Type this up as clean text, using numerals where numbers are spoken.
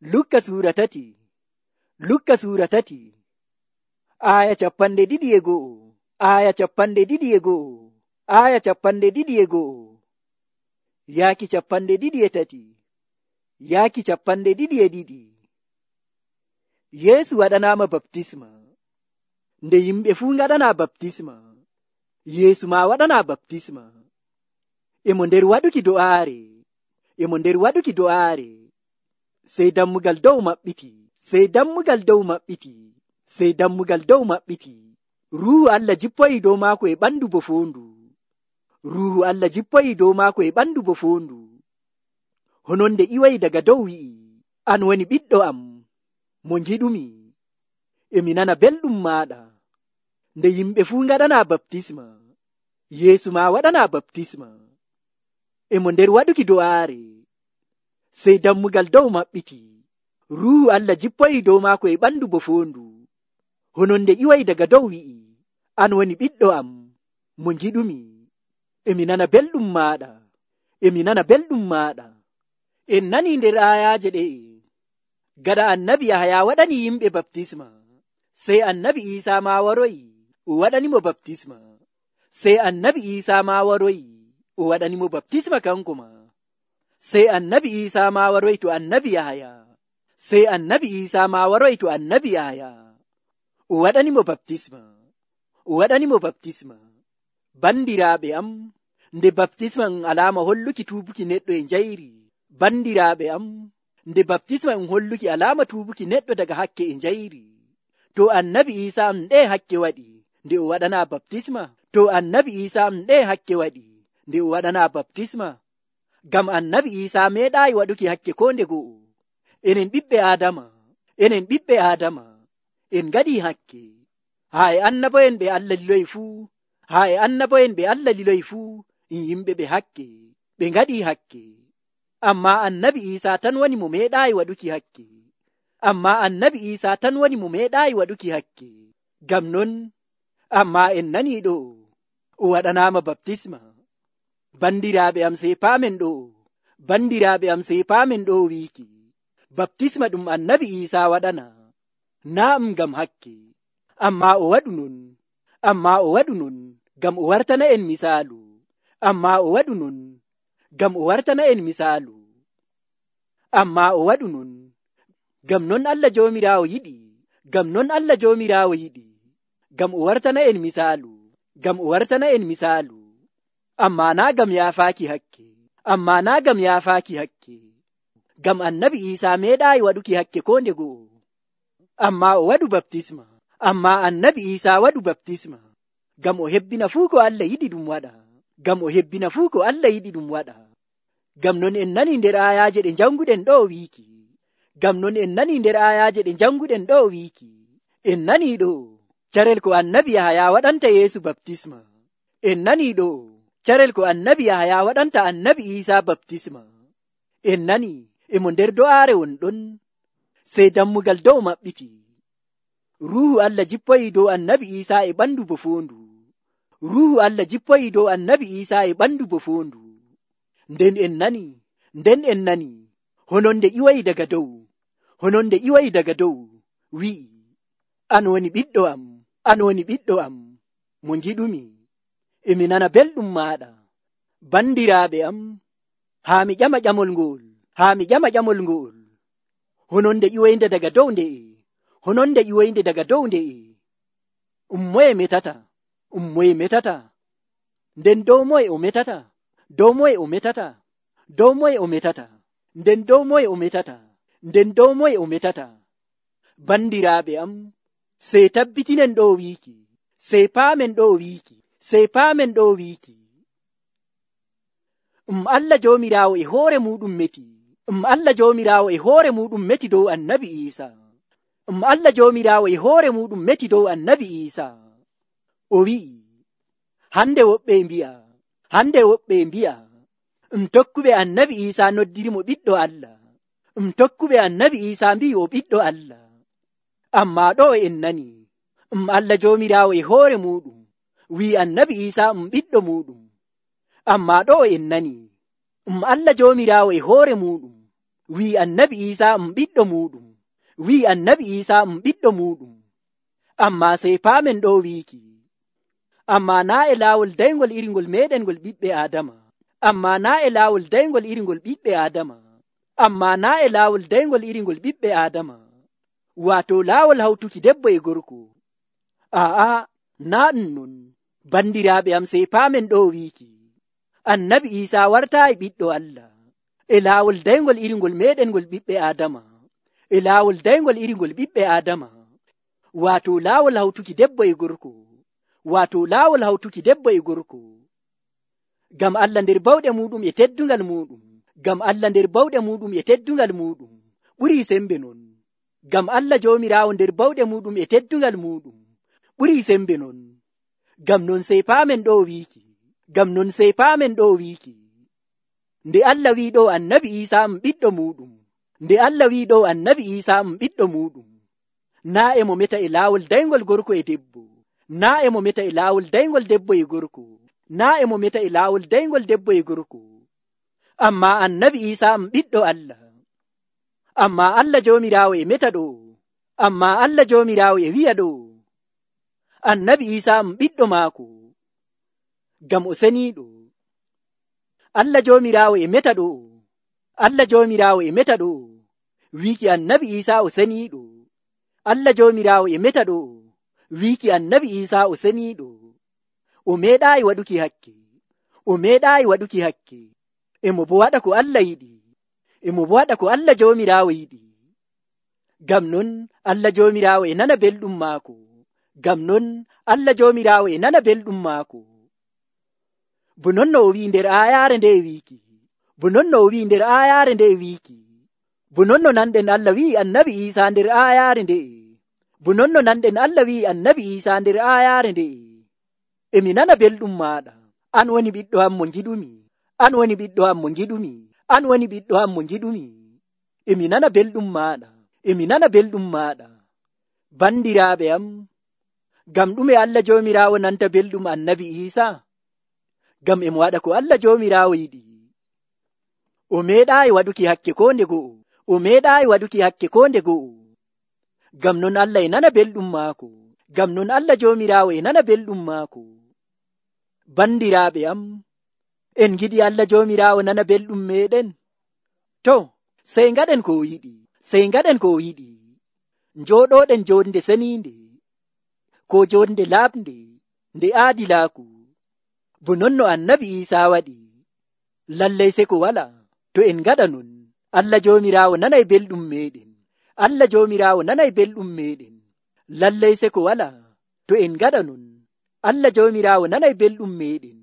Lukka suura tati. Aya 21. Aya 21. Aya 21. Yaaki 23. Yaaki 22. Yeesu waɗanaama baptisma. Nde yimɓe fuu ngaɗanaa baptisma, Yeesu ma waɗanaa baptisma. Emo nder waɗuki do'aare. Sey dammugal dow maɓɓiti. Ruuhu Allah jippoyi dow maako e ɓandu bo foondu. Hononde iwayi daga dow wi'i, an woni ɓiɗɗo am, mo ngiɗumi, emi nana belɗum maaɗa. Nde yimɓe fuu ngaɗanaa baptisma, Yeesu ma waɗanaa baptisma. Emo nder waɗuki do'aare. Sey dammugal dow maɓɓiti. Ruuhu Allah jippoyi dow maako e ɓandu bo foondu. Hononde iwayi daga dow wi'i, an woni ɓiɗɗo am, mo ngiɗumi, emi nana belɗum maaɗa. En nani nder ayaaje ɗe'e. Gaɗa annabi Yahaya waɗani yimɓe baptisma, sey annabi Iisaa ma waroyi, o waɗanimo baptisma. Sey annabi Iisaa ma waroyi, o waɗanimo baptisma kanko ma. Sey annabi Iisaa ma waroyi to annabi Yahaya. Sey annabi Iisaa ma waroyi to annabi Yahaya, o waɗanimo baptisma. Bandiraaɓe am, nde baptisma alaama holluki tuubuki neɗɗo e njayri. Bandiraaɓe am, nde baptisma holluki alaama tuubuki neɗɗo daga hakke e njayri. To annabi Iisaa nde hakke waɗi nde o waɗanaa baptisma. Gam annabi Iisaa meeɗaayi waɗuki hakke ko nde go'o. Enen ɓiɓɓe Aadama, en ngaɗii hakke. Haa e annabo'en ɓe Allah liloyi fuu, yimɓe ɓe hakke, ɓe ngaɗii hakke. Amma annabi Iisaa tan woni mo meeɗaayi waɗuki hakke. Gam non, amma en nanii ɗo, o waɗanaama baptisma. Bandiraaɓe am sey paamen ɗo wiiki, baptisma ɗum annabi Iisaa waɗana, naa ngam hakke, amma o waɗu non gam o wartana en misaalu. Gam non Allah Joomiraawo yiɗi, gam o wartana en misaalu. Amma naa gam yaafaaki hakke. Gam annabi Iisaa meeɗaayi waɗuki hakke ko nde go'o. Amma annabi Iisaa waɗu baptisma. Gam o hebbina fuu ko Allah yiɗi ɗum waɗa. Gam non en nani nder ayaaje ɗe janguɗen ɗo wiiki. En nani ɗo carel ko annabi Yahaya waɗanta Yeesu baptisma. En nani ɗo carel ko annabi Yahaya waɗanta annabi Iisaa baptisma. En nani emo nder do'aare won ɗon, sey dammugal dow maɓɓiti. Ruuhu Allah jippoyi dow annabi Iisaa e ɓandu bo foondu. Nden en nani, hononde iwayi daga dow, wi'i, an woni ɓiɗɗo am, mo ngiɗumi, emi nana belɗum maaɗa. Bandiraaɓe am, haa mi ƴama ƴamol ngol. Hononde iwoyinde daga dow nde'e. Ummoye metata. Nden dow moye o metata. Nden dow moye o metata. Bandiraaɓe am, sey tabbitinen ɗo wiiki. Sey paamen ɗo wiiki. Allah Joomiraawo e hoore muɗum meti dow annabi Iisaa. O wi'i, hande woɓɓe mbi'a, tokkuɓe annabi Iisaa noddirimo ɓiɗɗo Allah. Tokkuɓe annabi Iisaa mbi'i o ɓiɗɗo Allah. Amma ɗo en nani, Allah Joomiraawo e hoore muɗum wi'i annabi Iisaa ɓiɗɗo muɗum. Amma ɗo en nani, Allah Joomiraawo e hoore muɗum wi'i annabi Isa ɓiɗɗo muɗum, wi'i annabi Isa ɓiɗɗo muɗum. Amma sey paamen ɗo wiiki, amma naa e laawol daygol iringol meɗen ngol ɓiɓɓe Adama, amma naa e laawol daygol iringol ɓiɓɓe Adama, amma naa e laawol daygol iringol ɓiɓɓe Adama, waato laawol hawtuki debbo e gorko. Aa, naa ɗum non. Bandiraaɓe am, sey paamen ɗo wiiki, annabi Isa wartaayi ɓiɗɗo Allah e laawol daygol iringol meɗen ngol ɓiɓɓe Adama, e laawol daygol iringol ɓiɓɓe Adama, waato laawol hawtuki debbo e gorko, waato laawol hawtuki debbo e gorko. Gam Allah nder bawɗe muɗum e teddungal muɗum, gam Allah nder bawɗe muɗum e teddungal muɗum ɓurii sembe non. Gam Allah Joomiraawo nder bawɗe muɗum e teddungal muɗum ɓurii sembe non. Gam non sey paamen ɗo wiiki, gam non sey paamen ɗo wiiki, nde Allah wi ɗo annabi Isa ɓiɗɗo muɗum, nde Allah wi ɗo annabi Isa ɓiɗɗo muɗum, naa e mo meta e laawol daygol gorko e debbo, naa e mo meta e laawol daygol debbo e gorko, naa e mo meta e laawol daygol debbo e gorko. Amma annabi Isa ɓiɗɗo Allah, amma Allah Joomiraawo e meta ɗo, amma Allah Joomiraawo e wi'a ɗo annabi Isa ɓiɗɗo maako, gam o seniiɗo. Allah Joomiraawo e meta ɗo, Allah Joomiraawo e meta ɗo wiiki annabi Isa o seniiɗo, Allah Joomiraawo e meta ɗo wiiki annabi Isa o seniiɗo. O meeɗaayi waɗuki hakke, o meeɗaayi waɗuki hakke, emo bo waɗa ko Allah yiɗi, emo bo waɗa ko Allah Joomiraawo yiɗi. Gam non Allah Joomiraawo e nana belɗum maako, gam non Allah Joomiraawo e nana belɗum maako. Bo non no o wi'i nder aayaare nde wiiki, bo non no o wi'i nder aayaare nde wiiki, bo non no nanɗen Allah wi'i annabi Isa nder aayaare nde, bo non no nanɗen Allah wi'i annabi Isa nder aayaare nde, emi nana belɗum maaɗa, an woni ɓiɗɗo am mo ngiɗumi, an woni ɓiɗɗo am mo ngiɗumi, an woni ɓiɗɗo am mo ngiɗumi. Emi nana belɗum maaɗa, emi nana belɗum maaɗa. Bandiraaɓe am, gam ɗume Allah Joomiraawo nanta belɗum annabi Isa? Gam emo waɗa ko Allah Joomiraawo yiɗi. O meeɗaayi waɗuki hakke ko nde go'o, o meeɗaayi waɗuki hakke ko nde go'o. Gam non Allah e nana belɗum maako, gam non Allah Joomiraawo e nana belɗum maako. Bandiraaɓe am, en giɗi Allah Joomiraawo nana belɗum meɗen? To, sey ngaɗen ko o yiɗi, sey ngaɗen ko o yiɗi. Njooɗoɗen jonde seniinde, ko jonde laaɓnde nde aadilaaku, bo non no annabi Isa waɗi. Lallay se ko wala, to en ngaɗa non, Allah Joomiraawo nanay belɗum meɗen, Allah Joomiraawo nanay belɗum meɗen. Lallay se ko wala, to en ngaɗa non, Allah Joomiraawo nanay belɗum meɗen.